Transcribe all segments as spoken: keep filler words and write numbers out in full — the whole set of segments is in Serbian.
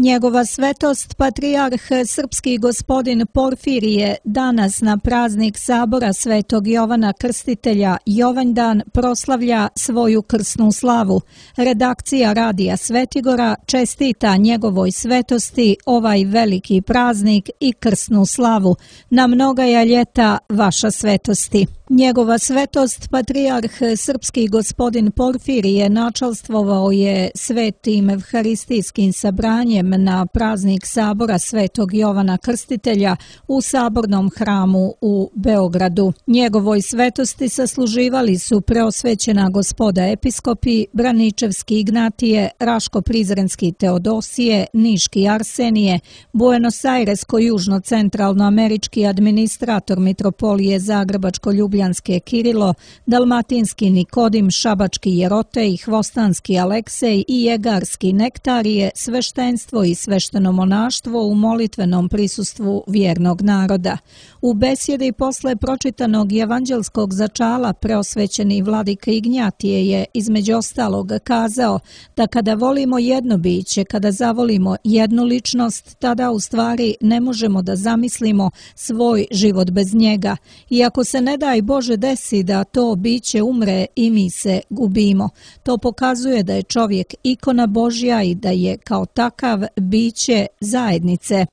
Njegova svetost patrijarh srpski gospodin Porfirije danas na praznik sabora Svetog Jovana Krstitelja Jovanjdan proslavlja svoju krsnu slavu. Redakcija Radija Svetigora čestita njegovoj svetosti ovaj veliki praznik i krsnu slavu. Na mnogaja ljeta vaša svetosti. Njegova svetost patrijarh srpski gospodin Porfirije načalstvovao je svetim evharistijskim sabranjem na praznik sabora Svetog Jovana Krstitelja u sabornom hramu u Beogradu. Njegovoj svetosti sasluživali su preosvećena gospoda episkopi, Braničevski Ignatije, Raško-Prizrenski Teodosije, Niški Arsenije, Buenos-Airesko-južno-centralnoamerički administrator mitropolije Zagrebačko-Ljubljanske Kirilo, Dalmatinski Nikodim, Šabački Jerotej, Hvostanski Aleksej i Jegarski Nektarije, sveštenstvo i svešteno monaštvo u molitvenom prisustvu vjernog naroda. U besjedi posle pročitanog evanđelskog začala preosvećeni vladika Ignjatije je između ostalog kazao da kada volimo jedno biće, kada zavolimo jednu ličnost, tada u stvari ne možemo da zamislimo svoj život bez njega. I ako se ne daj Bože desi da to biće umre i mi se gubimo. To pokazuje da je čovjek ikona Božja i da je kao takav biće zajednice.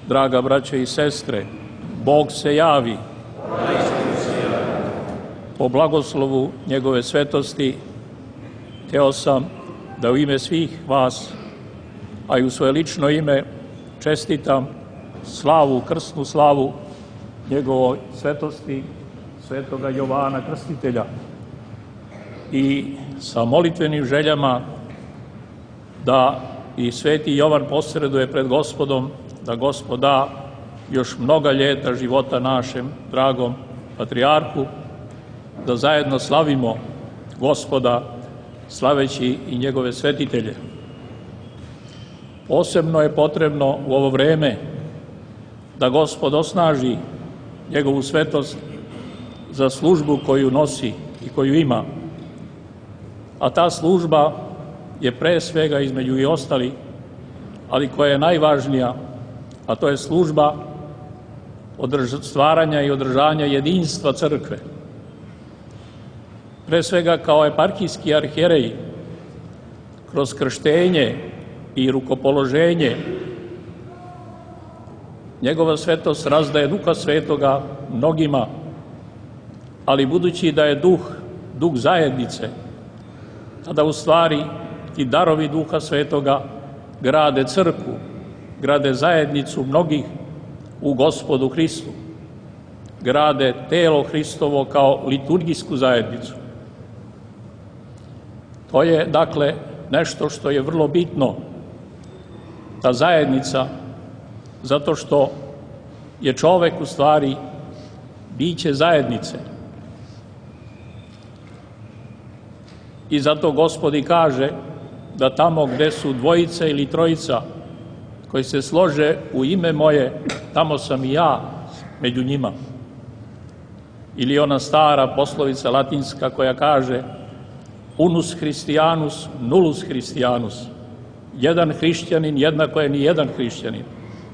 Draga braće i sestre, Bog se javi. Po blagoslovu njegove svetosti hteo sam da u ime svih vas, a i u svoje lično ime, čestitam slavu, krsnu slavu njegovoj svetosti Svetoga Jovana Krstitelja i sa molitvenim željama da i Sveti Jovan posreduje pred Gospodom, da Gospod da još mnoga ljeta života našem dragom patrijarhu, da zajedno slavimo Gospoda slaveći i njegove svetitelje. Posebno je potrebno u ovo vreme da Gospod osnaži njegovu svetost za službu koju nosi i koju ima. A ta služba je pre svega između i ostali, ali koja je najvažnija, a to je služba stvaranja i održanja jedinstva crkve. Pre svega kao eparhijski arhijerej, kroz krštenje i rukopoloženje, njegova svetost razdaje Duha Svetoga mnogima, ali budući da je duh, duh zajednice, tada u stvari ti darovi Duha Svetoga grade crkvu, grade zajednicu mnogih u Gospodu Hristu, grade telo Hristovo kao liturgijsku zajednicu. To je, dakle, nešto što je vrlo bitno, ta zajednica, zato što je čovek u stvari biće zajednice. I zato Gospod i kaže da tamo gde su dvojica ili trojica koji se slože u ime moje, tamo sam i ja među njima. Ili ona stara poslovica latinska koja kaže unus Christianus, nullus Christianus. Jedan hrišćanin jednako je ni jedan hrišćanin.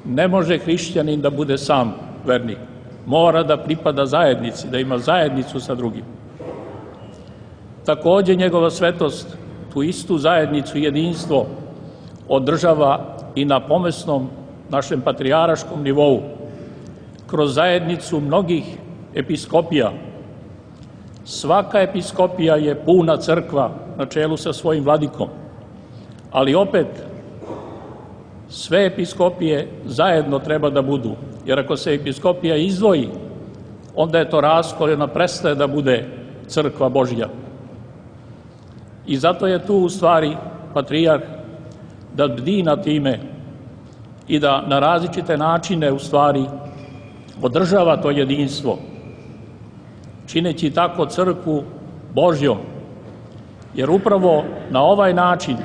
Ne može hrišćanin da bude sam vernik. Mora da pripada zajednici, da ima zajednicu sa drugim. Takođe njegova svetost tu istu zajednicu i jedinstvo održava i na pomesnom našem patrijaraškom nivou, kroz zajednicu mnogih episkopija. Svaka episkopija je puna crkva na čelu sa svojim vladikom, ali opet sve episkopije zajedno treba da budu, jer ako se episkopija izdvoji, onda je to raskol, ona prestaje da bude crkva Božja. I zato je tu u stvari patrijarh da bdi na time i da na različite načine u stvari održava to jedinstvo, čineći tako crkvu Božjom. Jer upravo na ovaj način,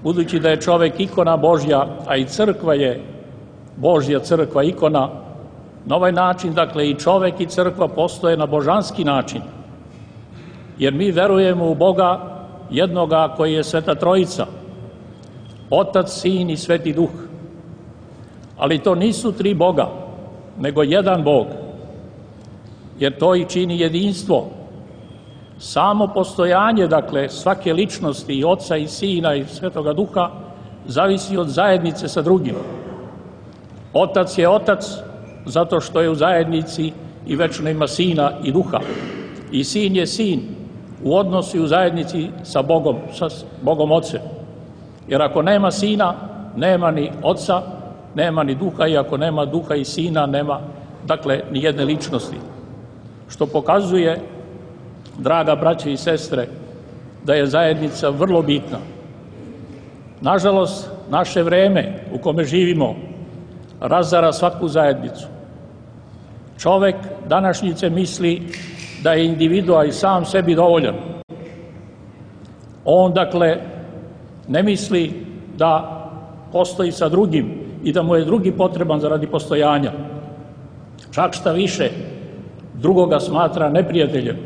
budući da je čovek ikona Božja, a i crkva je Božja crkva, ikona, na ovaj način, dakle, i čovek i crkva postoje na božanski način. Jer mi verujemo u Boga jednoga koji je Sveta Trojica, Otac, Sin i Sveti Duh. Ali to nisu tri Boga, nego jedan Bog, jer to i čini jedinstvo. Samo postojanje, dakle, svake ličnosti i Oca i Sina i Svetoga Duha zavisi od zajednice sa drugim. Otac je Otac zato što je u zajednici i večno ima Sina i Duha. I Sin je Sin u odnosu i u zajednici sa Bogom, sa Bogom Ocem. Jer ako nema Sina, nema ni Oca, nema ni Duha, i ako nema Duha i Sina, nema, dakle, ni jedne ličnosti. Što pokazuje, draga braće i sestre, da je zajednica vrlo bitna. Nažalost, naše vreme u kome živimo razara svaku zajednicu. Čovek današnjice misli da je individua i sam sebi dovoljan. On, dakle, ne misli da postoji sa drugim i da mu je drugi potreban zaradi postojanja. Čak šta više, drugoga smatra neprijateljem.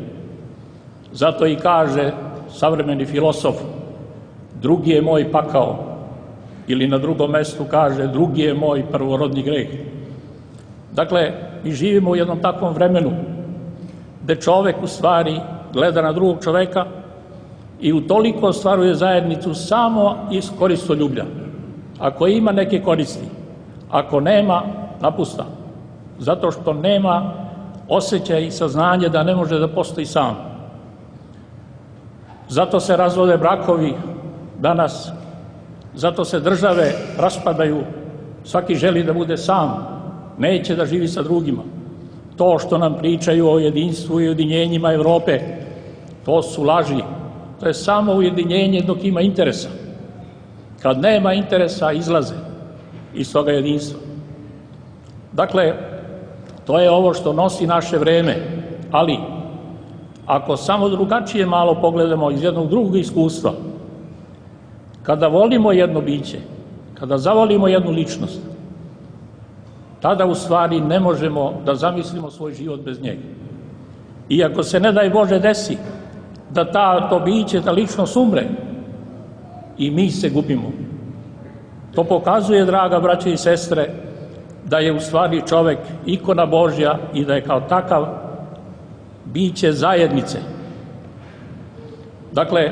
Zato i kaže savremeni filosof, drugi je moj pakao, ili na drugom mestu kaže, drugi je moj prvorodni greh. Dakle, mi živimo u jednom takvom vremenu gde čovek u stvari gleda na drugog čoveka i utoliko ostvaruje zajednicu samo iz koristoljublja. Ako ima neke koristi, ako nema, napusta. Zato što nema osjećaj i saznanje da ne može da postoji sam. Zato se razvode brakovi danas, zato se države raspadaju, svaki želi da bude sam, neće da živi sa drugima. To što nam pričaju o jedinstvu i ujedinjenjima Evrope, to su laži. To je samo ujedinjenje dok ima interesa. Kad nema interesa, izlaze iz toga jedinstva. Dakle, to je ovo što nosi naše vreme, ali ako samo drugačije malo pogledamo iz jednog drugog iskustva, kada volimo jedno biće, kada zavolimo jednu ličnost, tada u stvari ne možemo da zamislimo svoj život bez njega. Iako se, ne daj Bože, desi da ta, to biće, ta ličnost umre, i mi se gubimo. To pokazuje, draga braće i sestre, da je u stvari čovek ikona Božja i da je kao takav biće zajednice. Dakle,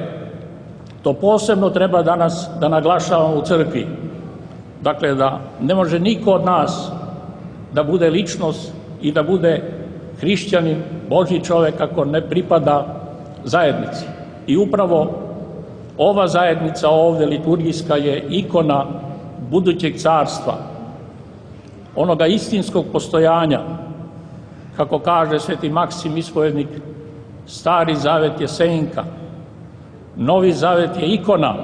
to posebno treba danas da naglašavamo u crkvi. Dakle, da ne može niko od nas da bude ličnost i da bude hrišćanin, Božji čovek, ako ne pripada zajednici. I upravo ova zajednica ovde, liturgijska, je ikona budućeg carstva, onoga istinskog postojanja. Kako kaže sveti Maksim ispovednik, Stari zavet je senka, Novi zavet je ikona,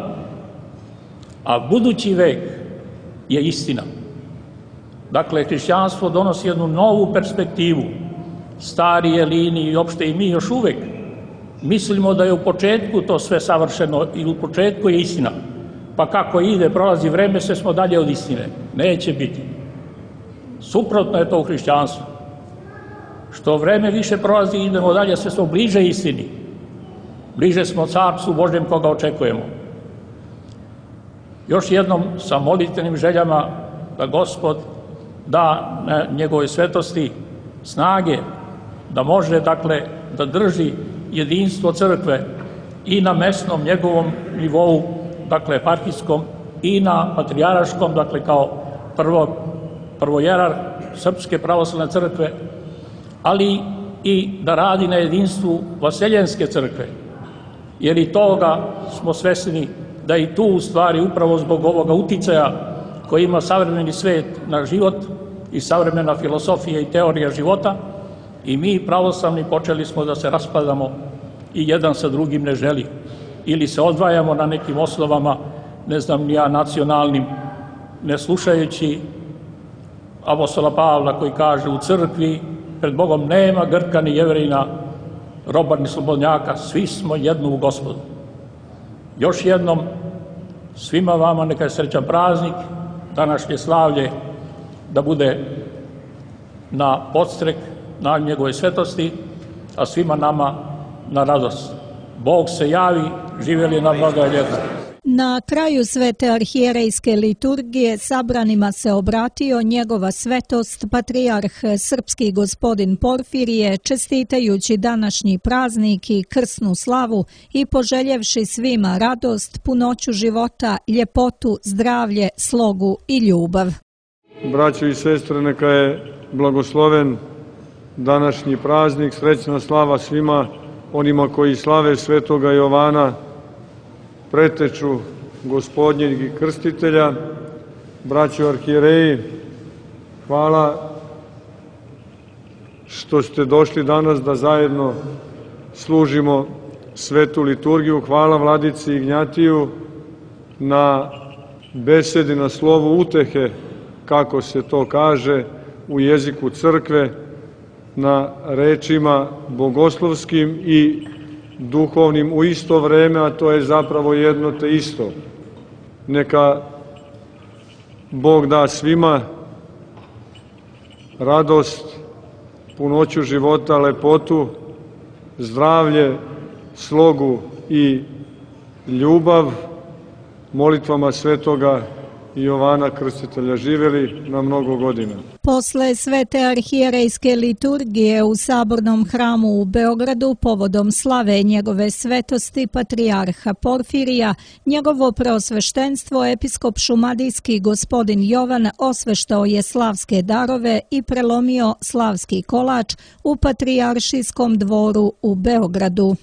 a budući vek je istina. Dakle, hrišćanstvo donosi jednu novu perspektivu. Stari Elini i opšte i mi još uvek mislimo da je u početku to sve savršeno i u početku je istina. Pa kako ide, prolazi vreme, sve smo dalje od istine. Neće biti. Suprotno je to u hrišćanstvu. Što vreme više prolazi, idemo dalje, sve smo bliže istini. Bliže smo carstvu Božjem koga očekujemo. Još jednom sa molitvenim željama da Gospod da na njegovoj svetosti snage da može, dakle, da drži jedinstvo crkve i na mesnom njegovom nivou, dakle, eparhijskom, i na patrijaraškom, dakle, kao prvo, prvojerar Srpske pravoslavne crkve, ali i da radi na jedinstvu Vaseljenske crkve, jer i toga smo svesni da i tu u stvari upravo zbog ovoga uticaja koji ima savremeni svet na život i savremena filosofija i teorija života, i mi pravoslavni počeli smo da se raspadamo i jedan sa drugim ne želi. Ili se odvajamo na nekim osnovama, ne znam ni ja, nacionalnim, ne slušajući apostola Pavla koji kaže u crkvi pred Bogom nema Grka ni Jevrejina, roba ni slobodnjaka, svi smo jedno u Gospodu. Još jednom, svima vama neka je srećan praznik, današnje slavlje da bude na podstrek na njegove svetosti, a svima nama na radost. Bog se javi, živjeli na blaga ljeta. Na kraju svete arhijerejske liturgije sabranima se obratio njegova svetost patrijarh srpski gospodin Porfirije, čestitajući današnji praznik i krsnu slavu i poželjevši svima radost, punoću života, ljepotu, zdravlje, slogu i ljubav. Braćo i sestre, neka je blagosloven današnji praznik, srećna slava svima onima koji slave svetoga Jovana, preteču Gospodnjeg i Krstitelja. Braćo arhijereji, hvala što ste došli danas da zajedno služimo svetu liturgiju. Hvala vladici Ignjatiju na besedi, na slovu utehe, kako se to kaže u jeziku crkve, na rečima bogoslovskim i duhovnim u isto vreme, a to je zapravo jedno te isto. Neka Bog da svima radost, punoću života, lepotu, zdravlje, slogu i ljubav, molitvama svetoga Jovana Krstitelja. Živeli na mnogo godina. Posle svete arhijerejske liturgije u Sabornom hramu u Beogradu povodom slave njegove svetosti patrijarha Porfirija, njegovo preosveštenstvo episkop šumadijski gospodin Jovan osveštao je slavske darove i prelomio slavski kolač u patrijaršijskom dvoru u Beogradu.